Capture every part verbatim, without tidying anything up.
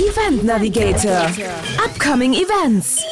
Event Navigator, Upcoming Events.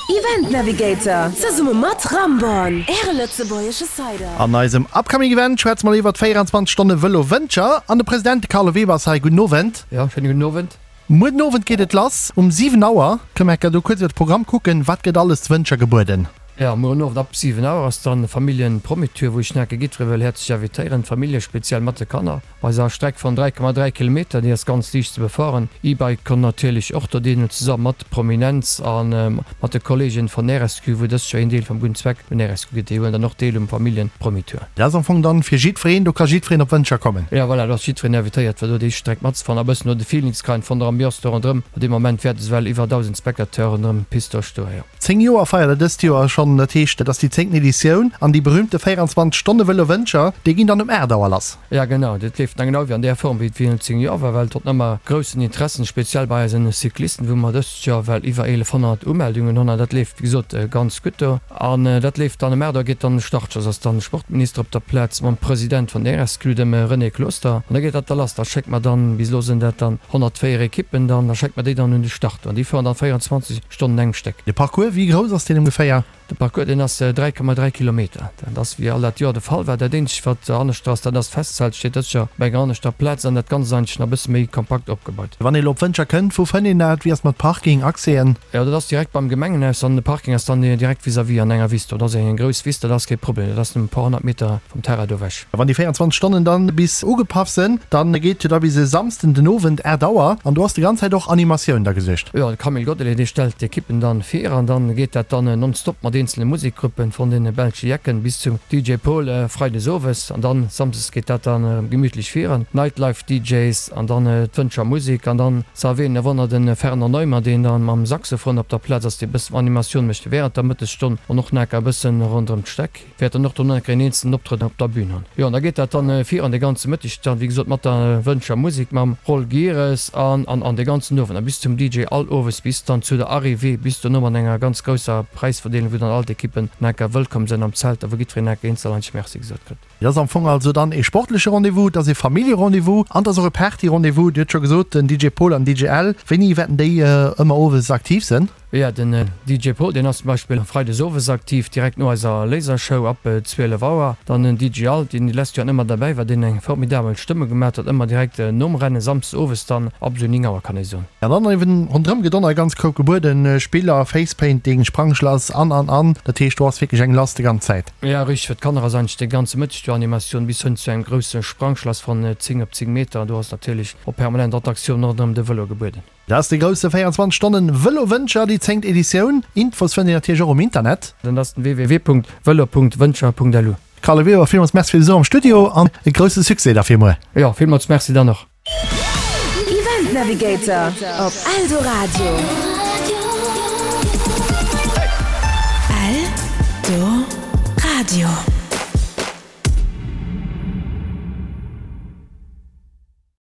Event Navigator, zesumme mat Ramborn, Äre lëtzebuergesche Cider. An eisem Upcoming Event schwätze mer iwwer d'véierundzwanzeg Stonne Vëlo Wëntger an de President, de Carlo Weber ass hei. Gudden Owend. Jo, schéine gudden Owend. Muer den Owend geet et lass um siwen Auer. Kënne mer enker do kuerz iwwer de Programm kucken? Wat gëtt alles zu Wëntger gebueden? Jo, muer den Owend ab siwen Auer ass dann Familljen-Promittour, wou ech enke jiddweree wëll häerzlech invitéieren, d'Famillje speziell mat de Kanner. Bei eiser Streck von dräi Komma dräi Kilometer, déi ass ganz liicht ze befueren. E-Bike konnt natierlech och do deelhuelen, zesammen mat Prominenz a mat de Kollegen von R S Q, wou dëst Joer een Deel vum gudden Zweck un R S Q geet. Déi huelen dann och deel um Familljen-Promittour. Dat ass am Fong dann fir jiddwereen, do ka jiddwereen op Wëntger kommen. Jo, voilà, do ass jiddwereen invitéiert, fir do déi Streck matzefahren a bëssen no de Feeling ze kréien von der Ambiance do ronderëm. An deem Moment wäerte souwell iwwer dausend Spectateuren ronderëm d'Piste do stoen, jo. Zéng Joer feiert der dëst Joer schonn, dat heescht, et ass déi zéngten Editioun an déi berühmte véierundzwanzeg Stonne Vëlo Wëntger, déi ginn dann um aacht Auer lass. Ja genau, dat leeft dann genau wéi an där Form wéi et virun zéng Joer war, well et huet ëmmer groussen Interessen, speziell bei eisen Cyclisten, wou mer dëst Joer well iwwer eelefhonnert Umeldungen hunn an dat leeft wéi gesot ganz gutt do. An dat leeft dann um aacht Auer geet dann de Startschoss, ass dann de Sportminister op der Plaz mam President vun der R S Q, dem René Closter, an da geet dat da lass. Da schéckt mer dann, bis elo sinn dat dann honnertvéier Ekippen dann, da schéckt mer déi dann un de Start an déi fueren dann véierundzwanzeg Stonnen engem Stéck. De Parcours, wéi grouss ass deen ongeféier? De Parcours, deen ass dräi Komma dräi Kilometer. Dat ass wéi all dat Joer de Fall war. Dat eenzegt, wat aneschter ass, dat ass d'Festzelt steet dëst Joer op enger aneschter Plaz an dat Ganzt ass eigentlech nach e bësse méi kompakt opgebaut. Wann ee elo op Wëntger kënnt, wou fënnt een dat? Wéi ass mat Parking, Accèsen? Jo, dat ass direkt beim Gemengenhaus an de Parking ass dann direkt vis-à-vis an enger Wiss do. Dat ass eng grouss Wiss, dat ass kee Problem. Dat ass nëmmen e puer honnert Meter vum Terrain do ewech. Wann déi véierundzwanzeg Stonnen dann bis ugepaff sënn, dann geet jo da bis e Samsden den Owend aacht Auer an do ass déi ganz Zäit och Animatioun da gesuergt. Jo, de Camille Godelet, dee stellt d'Ekippen dann vir an dann geet dat dann nonstop mat eenzele Musekgruppen, von den belsche Jecken bis zum D J Paul freides owes an dann samsdes geet dat dann erëm gemütlech virun, Nightlife D Js an dann d'Wëntger Musek an dann ze erwähnen e Wonner den Fernand Neumann, deen dann mam Saxophon op der Plaz ass, dee bëssen Animatioun mécht während der Mëttesstonn an och nach e bëssen ronderëm d'Streck. Wäert dann och dono nach en eenzelen Optrëtt op der Bühn hunn. Jo, an da geet dat dann virun de ganze Mëtteg dann, wéi gesot, mat der Wëntger Musek, mam Roll Gieres an an an de ganzen Owend a bis zum D J all owes bis dann zu der Arrivée, bis dono mat enger ganz grousser Präisverdeelung, wou dann all d'Ekippen enker wëllkomm sinn am Zelt a wou jiddwereen enker eenzel eigentlech Merci gesot kritt. Et ass am Fong also dann ee sportleche Rendez-vous, et ass ee Famillje-Rendez-vous an et ass och e Party-Rendez-vous. Dir hutt scho gesot, den D J Paul an D J Al, wéini wäerten déi ëmmer owes aktiv sinn? Jo, den D J Paul, deen ass zum Beispill freides owes aktiv, direkt no eiser Lasershow ab zwielef Auer. Dann den D J Al, deen déi lescht Joren ëmmer derbäi war, deen eng formidabel Stëmmung gemaat huet, ëmmer direkt nom Rennen, samsdes owes dann ab esou néng Auer, kann ee soen. An dann eben ronderëm gëtt och nach e ganz Koup gebueden, Spiller, Facepainting, Sprangschlass an, an, an. Dat heescht, do ass wierklech eng lass déi ganz Zäit. Jo, richteg, fir d'Kanner ass eigentlech de ganze Mëtteg do Animatioun, bis hënn zu engem grousse Sprangschlass von zéng op zéng Meter. Do ass natierlech och permanent Attraktioun ronderëm de Vëlo gebueden. Dat ass de grousse véierundzwanzeg Stonnen Vëlo Wëntger, déi zéngt Editioun. Infos fënnt een natierlech och um Internet. Dat ass den w w w punkt velo punkt wëntger punkt l u. Carlo Weber, villmools Merci fir de Besuch am Studio an e grousse Succès da fir muer. Jo, villmools Merci dann och. Event Navigator op Eldoradio. Eldoradio.